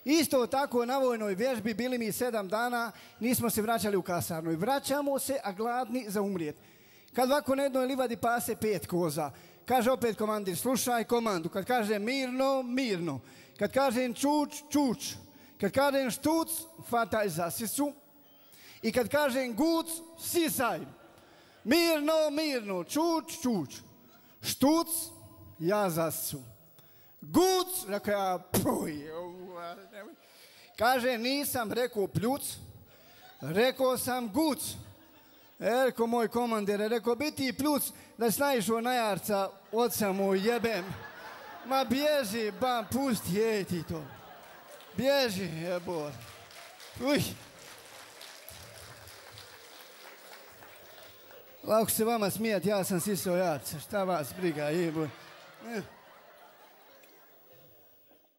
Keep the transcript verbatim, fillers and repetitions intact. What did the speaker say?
Isto tako na vojnoj vježbi bili mi sedam dana, nismo se vraćali u kasarnu. I vraćamo se, a gladni za umrijet. Kad ovako na jednoj livadi pase pet koza, kaže opet komandir, slušaj komandu. Kad kaže mirno, mirno. Kad kažem čuč, čuč. Kad kažem štuc, fataj za sisu. I kad kažem guc, sisaj. Mirno, mirno, čuč, čuč. Štuc, ja za sisu. Guc, rekao ja, puj. Kaže, nisam rekao pljuc, rekao sam guc. Erko, moj komandir, rekao, biti pljuc da si naišao na jarca, oca mu jebem. Ma bježi, ba, pusti, ej ti to. Bježi, jebor. Uj. Lako se vama smijati, ja sam sisao jarca, šta vas briga, jebor.